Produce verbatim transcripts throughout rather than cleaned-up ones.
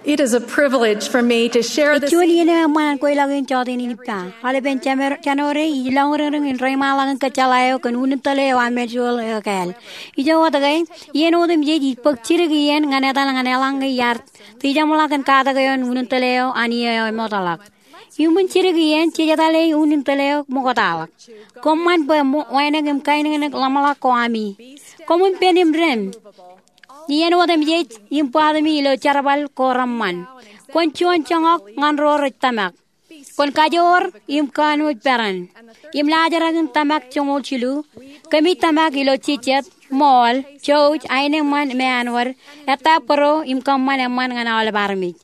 It is a privilege for me to share this. Ej juon iien eo eṃṃan an kweilọk in jọteen in ippa. Aolepen Janur-, January, ij lọñriñriñ in reiṃaanḷọk in kōjjeḷā eok kōn unin tōl eo Ammiuj Wōḷ ekāāl. Ijo wōt ke, iien otemjej ij bōk jidik iien ñan etal ñan eḷaññe iar tijeṃḷọk kōn katak eo an unin tōl eo an iiō eo emootḷọk. Iuṃwin jidik iien, jej etale unin tōl eo ṃoktaḷọk. Koṃṃan bwe mo-, wānōk im kainōknōk ḷōmṇak ko ami. Koṃwin pen im dem. Iien otemjej im bōtami ilo jerbal ko reṃṃan. Kwōn juon joñak ñan ro rej tōmak. Kwōn kajoor im kanooj peran. Im laajrak in tōmak joñoul jilu. Kōmij tōmak ilo jijet, ṃool, jouj, aenōṃṃan im āinwōt, ettā bōro im kōṃṃan eṃṃan ñan aolep armej.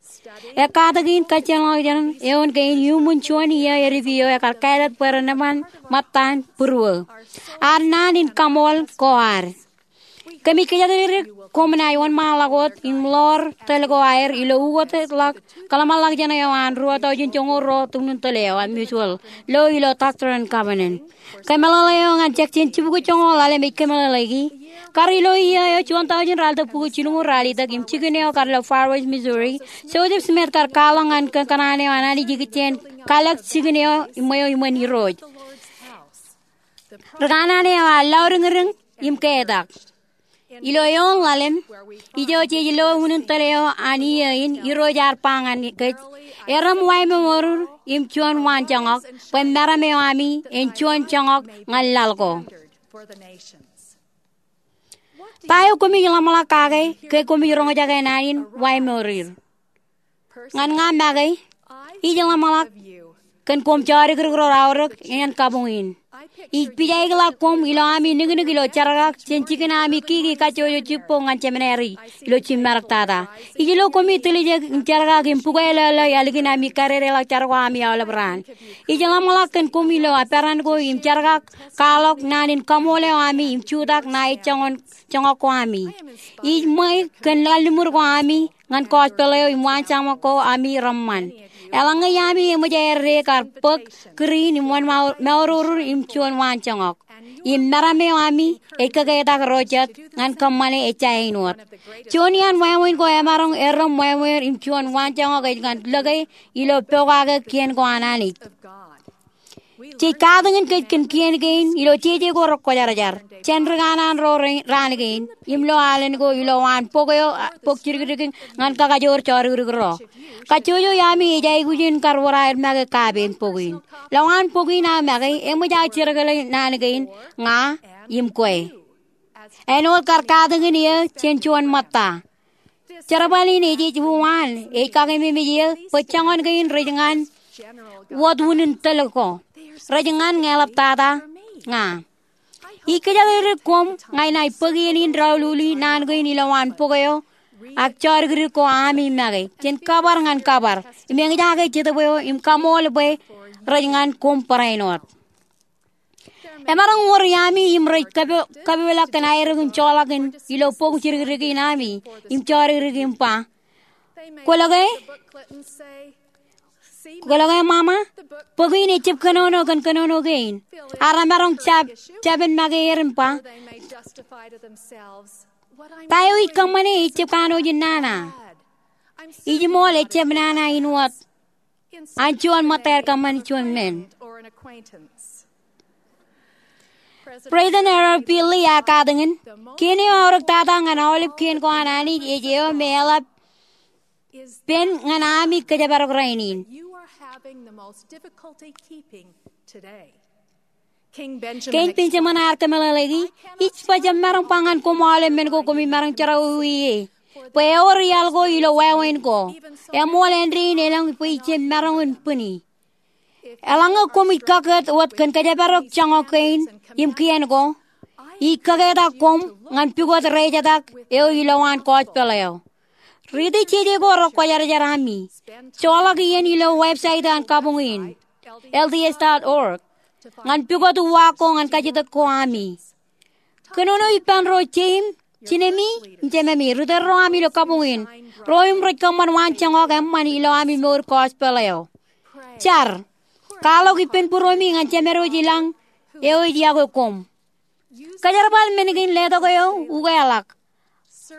Ekkatak in kajjioñ ḷọk jān eoon kein iuṃwin juon iiō edit eo ekar kāālōt bwe ren eṃṃan ṃōttan būruō. Ad naan in kaṃool ko ad. Kōmij kōjatdikdik koṃ naaj wōnṃaanḷọk wōt im ḷoor tōl ko aer ilo ukōtḷọk kōḷmānḷọkjeṇ eo an ruo tọujin joñoul ruo unin tōl eo Ammiuj Wōḷ lo ilo Doctrine and Covenants. Kōmeḷeḷe eo ñan section jibukwi joñoul ḷalem ej kōmeḷeḷeiki. Kar ilo iiō eo juon tọujin raar tōpukwi jilñuul raar itok im jikin eo kar ilo Far West, Missouri, Joseph Smith kar kwaḷọk ñan kōnono eo an Anij ikijjien kalōk jikin eo iṃweo iṃōn Irooj. Ri kanaan eo ear lọdiñdiñ im ketak. Ilo eoon ḷalem, ijo jej lo unin tōl eo an iiō in Irooj ear ba ñan kōj, erom wāmour im juon waanjoñak, bwe meram eo ami en juon joñak ñan laḷ ko. Ta eo koṃij ḷōmṇak kake ke koṃij roñjake naan in wāmour er? Ñan ña make, ij ḷōmṇak kōn koṃ jodikdik ro aorōk ñan kabuñ in. Ij pijaikḷọk koṃ ilo ami niknik ilo jerkak jān jikin ami kiki kajjojo jibboñ ñan Seminary ilo jiṃṃarektata. Ij lo koṃij tiljek im jerkak im bukweilōḷḷō ālikin ami kadedeḷọk jar ko ami aolep raan. Ij ḷōmṇak kōn koṃ ilo aperan ko im jerkak kwaḷọk naan in kaṃool eo ami im jutak ṇae joñak ko ami. Ij ṃōj kōn kalliṃur ko ami ñan gospel eo im waanjoñak ko ami reṃṃan. Eḷaññe ami eṃōj aer de kar bōk kūr in im wōnṃaanḷọk im juon waanjoñak, im meram eo ami ej kōketak ro jet ñan kōṃṃane ejja āinwōt. Juon iaan wāween ko emaroñ erom wāween im juon waanjoñak ej ñan lōke ilo pokake kien ko an Anij. Jej katakin kōj kōn kien kein ilo jeje ko rekwōjarjar jān ri kanaan ro raan kein im lo alen ko ilo waan bok eo, bok jidikdik in ñan kakajoor jodikdik ro. Kajjojo ami ej aikuj in kar wōr aer make kaapen bok in. Lowaan bok in aō make eṃōj aō jiroñ ḷọk naan kein ña im kwe. Āinwōt kar katakin eō jān juon ṃōtta. Jerbal in ej ej uwaan, ej kakememej eō bwe joñan kein rej ñan wōt unin tōl ko. Rej ñan ñe eḷaptata ña. Ij kōjatdikdik koṃ ña inaaj bōk iien in doululi naan kein ilowaan bok eo ak jodikdik ko ami make jān kabar ñan kabar im eñjake jetōb eo im kaṃool bwe rej ñan koṃ barāinwōt. Emaroñ wōr iaami im rej kapo-, kapeḷḷọk kōn aerōk in joḷọk in ilo bok jidikdik in ami im jodikdik im ba, kwōlo ke? Kwōlo ke, Ṃaṃa? Bok in ejjab kōnono kōn kōnono kein. Ak emaroñ jab-, jabōn make er im ba, ta eo ij kōṃṃane ejjab kanooj in nana. Ij ṃool ejjab nana in wōt an juon ṃōtta aer kōṃṃan juon men. President Harold B. Lee ear katakin, kien eo aorōktata ñan aolep kien ko an Anij ej eo me eḷap pen ñan ami kōjparok rainin. Kein Benjamin ear kōmeḷeḷeiki, ij ba jab maroñ ba ñan koṃ aolep men ko koṃij maroñ jerọwiwi ie. Bwe ewōr iaḷ ko ilo wāween ko. Eṃool āindein elōñ bwe ij jab maroñ in bwini. Eḷaññe koṃij kakōt wōt kōn kōjparok joñak kein im kien ko, ij kaketak koṃ ñan pukot rejetak eo ilowaan gospel eo. Riiti jeje ko rekwōjarjar ami. Joḷọk iien ilo website an kabuñ in, L D S dot org, ñan pukot uwaak ko ñan kajjitōk ko ami. Kōnono ippān ro jeim, jinemi, im jememi, ri tōl ro ami ilo kabuñ in, ro im rej kōṃṃan waanjoñak eṃṃan ilo ami mour gospel eo. Jar, kwaḷọk ippān būruemi ñan Jemedwōj ilañ eo ej yokwe koṃ. Kōjerbal men kein letok eo ukeḷọk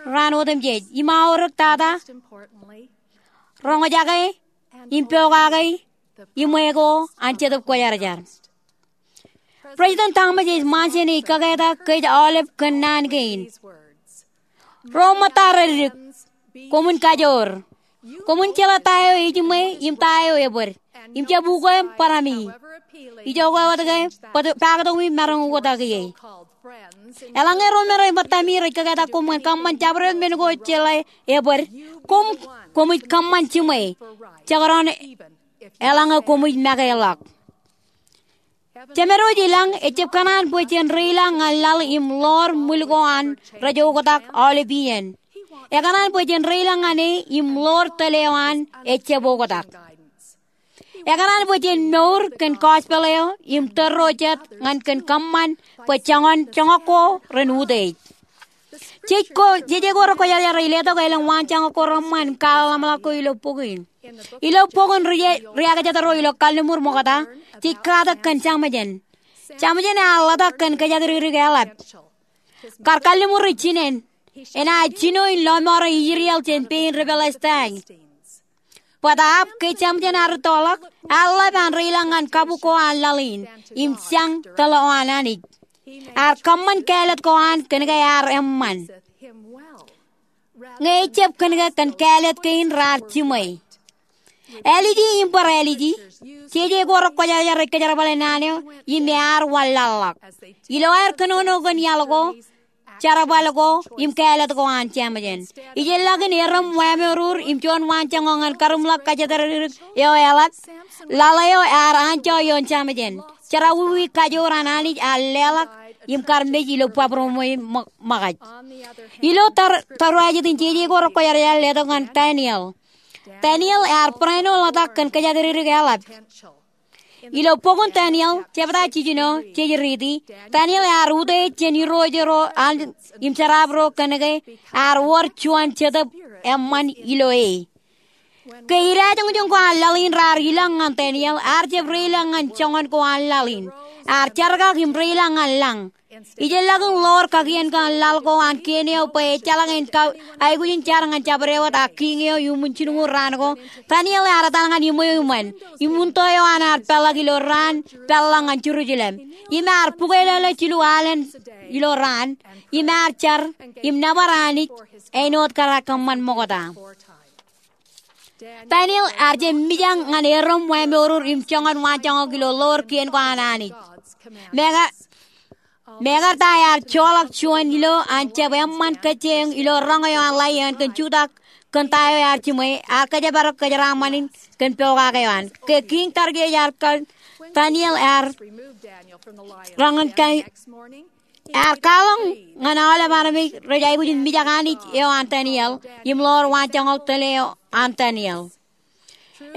raan otemjej im aorōktata roñjake im pokake iṃwe ko an Jetōb Kwōjarjar. President Thomas S. Monson ej kaketa kōj aolep kōn naan kein. Ro ṃōtta reddik, koṃwin kajoor. Koṃwin jeḷā ta eo ejiṃwe im ta eo ebōd, im jab ukōṃ bōraṃ ie. Ijoke wōt ke paktoṃ im maroñ oktak ie. Eḷaññe ro men rej ṃōttami rej kaketa koṃ ñan kōṃṃan jabdewōt men ko jeḷā ebōd, koṃ, koṃij kōṃṃan jiṃwe, jekdọọn eḷaññe koṃij make ḷọk. Jemedwōj i lañ ejjab kōṇaan bwe jen reilọk ñan laḷ im ḷoor ṃwil ko an rej oktak aolep iien. Ekōṇaan bwe jen reilọk ñan e im ḷoor tōl eo an ejjab oktak. Ekōṇaan bwe jen mour kōn gospel eo im tōl ro jet ñan kōn kōṃṃan bwe joñan joñak ko ren utiej. Jej ko, jeje ko rekwōjarjar rej letok elōñ waanjoñak ko reṃṃan im kwaḷọk ko ilo bok in. Ilo bok in ri, riakjatdọọn ro ilo kalliṃur ṃokta, jej katak kōn Jamjen. Jamjen ear ḷotak kōn kōjatdikdik eḷap. Kar kalliṃur ej jinen, enaaj jino in lọmọọr ijriel jān pein ri Pilistaij. Bōtaab ke Jamjen ear rūttoḷọk, ear ḷap an reilọk ñan kabuk ko an laḷ in im jañ tōl eo an Anij. Ear kōṃṃan kāālōt ko an kōn ke ear eṃṃan, ñe ejjab kōn ke kōn kāālōt kein raar jiṃwe. Āliji im bar āliji, jeje ko rekwōjarjar rej kōjerbale naan eo im ear wanlaḷḷọk. Ilo aer kōnono kōn iaḷ ko, jerbal ko im kāālōt ko an Jamjen, ijellọkin erom wāmourur im juon waanjoñak ñan karuṃḷọk kōjatdikdik eo eḷap, laḷ eo ear anjọ ioon Jamjen. Jerọwiwi kajoor an Anij ear leḷọk im kar mej ilo bwebwerom ṃōkaj. Ilo tōre, tōre jet in jeje ko rekwōjarjar letok ñan Daniel. Daniel ear barāinwōt ḷotak kōn kōjatdikdik eḷap. Ilo bok in Daniel, jebta jiljino, jej riiti, Daniel ear utiej jān irooj ro an im jeraaṃṃan ro kōn ke ear wōr juon Jetōb eṃṃan ilo e. Ke idajoñjoñ ko an laḷ in raar ilọk ñan Daniel, ear jab reilọk ñan joñan ko an laḷ in. Ear jerkak im reilọk ñan lañ. Ijellọkin ḷoor kakien ko an laḷ ko an kien eo bwe ejjeḷọk en aikuj in jar ñan jabdewōt ak kiiñ eo iuṃwin jilñuul raan ko, Daniel ear etal ñan iṃweo iṃōn, im uṇto eo an ear peḷḷọk ilo raan peḷḷọk ñan Jerusalem. Im ear bukwelōlō jilu alen ilo raan, im ear jar im nōbar Anij āinwōt kar kōṃṃan ṃokta. Daniel ear jab mijak ñan erom wāmourur im joñan waanjoñak ilo ḷoor kien ko an Anij. Mekarta ear joḷọk juon ilo an jab eṃṃan kōjjeeñ ilo roñ eo an Laion kōn jutak kōn ta eo ear jiṃwe, ear kōjparok kōjeraaṃṃan in kōn pokake eo an. Ke kiiñ Darius ear kar Daniel ear roñan kōn Ear kwaḷọk ñan aolep armej rej aikuj in mijak Anij eo an Daniel im ḷoor waanjoñak tōl eo an Daniel.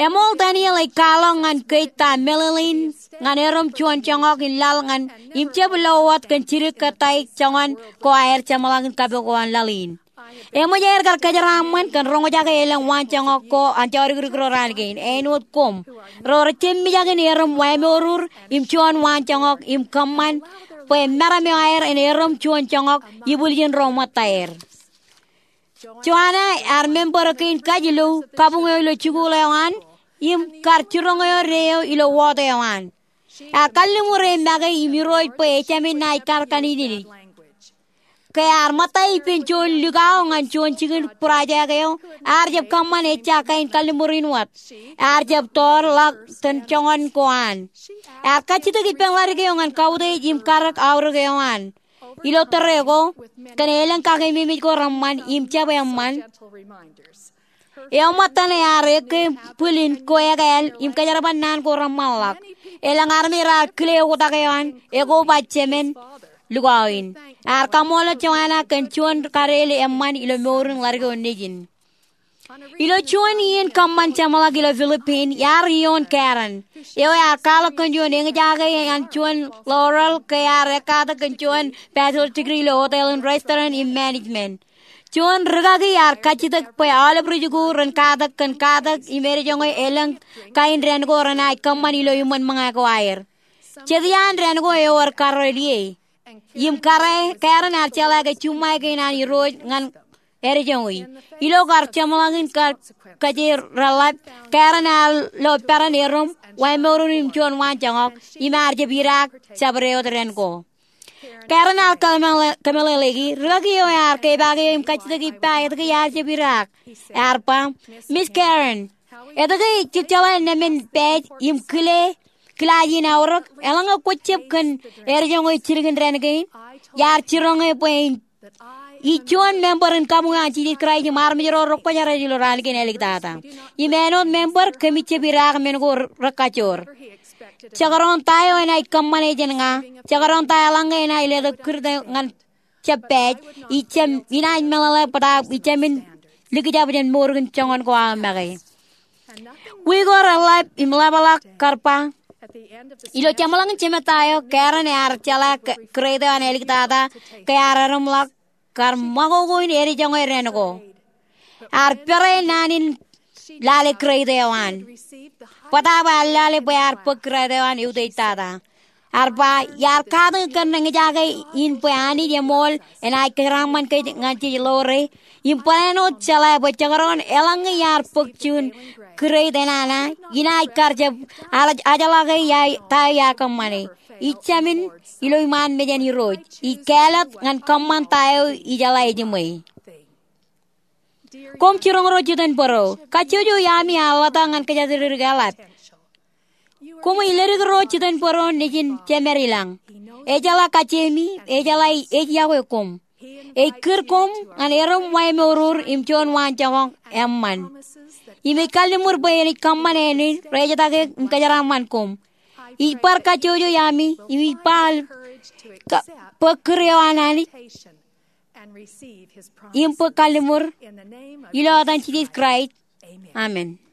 Eṃool Daniel ej kwaḷọk ñan kōj ta meḷeḷein ñan erom juon joñak in laḷ ñan im jab lo wōt kōn jidik kōttāik joñan ko aer jeṃḷọkin kabuk ko an laḷ in. Eṃōj aer kar kōjeraaṃṃan kōn roñjake elōñ waanjoñak ko an jọdikdik ro raan kein āinwōt koṃ, ro rej jab mijak in erom wāmourur im juon waanjoñak im kōṃṃan bwe meram eo aer en erom juon joñak ibwiljin ro ṃōttaer. Joanna ear member kein kajjilōk kabuñ eo ilo jikuuḷ eo an im kar jiroñ eo de eo ilo wōt eo an. Ear kalliṃur e make im irooj bwe ejāmin naaj kar kanejnej. Ke ear ṃōtta ippān juon likao ñan juon jikin project eo, ear jab kōṃṃan ejja kain kalliṃur in wōt. Ear jab tōrḷọk tōn joñan ko an. Ear kajjitōk ippān ḷadik eo ñan kautiej im karōk aorōk eo an. Ilo tōre ko, kōn elōñ kakememej ko reṃṃan im jab eṃṃan, eo ṃōttan ear ekkā bwilin ko ekāāl im kōjerbal naan ko reṃṃanḷọk. Elōñ armej raar kile oktak eo an, ekoba jemān likao in. Ear kaṃṃoolol Joanna kōn juon kadeḷe eṃṃan ilo mour in ḷadik eo nejin. Ilo juon iien kōṃṃan jeṃḷọk ilo Philippines, iar ioon Karen, eo ear kwaḷọk kōn juon eñjake an juon laurel ke ear ekkatak kōn juon bachelor degree ilo hotel im restaurant im management. Juon rikaki ear kajjitōk bwe aolep ri-jikuuḷ ren katak kōn katak im edejoñe elōñ kain dān ko renaaj kōṃṃan ilo iṃōn ṃōñā ko aer. Jet iaan dān ko ewōr karreoḷ ie. Im kōrā, Karen ear jeḷā ke juṃae kein an irooj ñan edjoñi. Ilo kar jeṃḷọkin kar kōjeraḷḷap, Karen ear lo peran erom, wāmour in im juon waanjoñak, im ear jab idaak jabdewōt eo ren ko. Karen ear kōmeḷeḷeiki, rūkaki eo ear kepaak eō im kajjitōk ippa etke iar jab idaak. Ear ba, Miss Karen, etke ij jeḷā nemān pāj im kile kilaaj in aorōk, eḷaññe kwōj jab kōn edjoñe jilkindein kein? Iar jiroñ eō bwe in ij juon member in kabuñ an Jisōs Kraist im armej ro rekwōjarjar ilo raan kein āliktata. Im āinwōt member kōmij jab idaak men ko rekajoor. Jekdọọn ta eo enaaj kōṃṃane jān ña, jekdọọn ta eḷaññe enaaj letok kūrte ñan jab pāj, ij jab, inaaj meḷeḷe bōtaab ij jab men likjab jān mour kein joñan ko aō make. Wiik ko reḷap im ḷapḷọk kar ba, ilo jeṃḷọkin jemed ta eo, Karen ear jeḷā ke grade eo an āliktata ke ear erom ḷọk kar ṃakoko in edjoñe ren ko. Ear pere naan in lale grade eo an. Bōtaab ear lale bwe ear bōk grade eo an eutiej tata. Ear ba, iar katakin kōn eñjake in bwe Anij eṃool enaaj kōjeraṃṃan kōj ñan jej ḷoore. Im barāinwōt jeḷā bwe jekdọọn eḷaññe iar bōk juon grade enana, inaaj kar jab ajeḷā ke ta eo iar kōṃṃane. Ij jāmin ilo iṃaan mejān Irooj. Ij kāālōt ñan kōṃṃan ta eo ijeḷā ejiṃwe. Koṃ jiroñ ro jitōnbōro, kajjojo iaami ear ḷotak ñan kōjatdikdik eḷap. Koṃij ledik ro jitōnbōro nejin Jemed ilañ. Ejeḷā kajjiomi, ejeḷā ej yokwe koṃ. Ej kūr koṃ ñan erom wāmour im juon waanjoñak eṃṃan. Im ej kalliṃur bwe enaaj kōṃṃan āne in rejetake im kōjeraṃṃan koṃ. Ij bar kajjojo iaami im ij ba bwe kūr eo an Anij im bwe kalliṃur, ilo etan Jisōs Kraist, amen.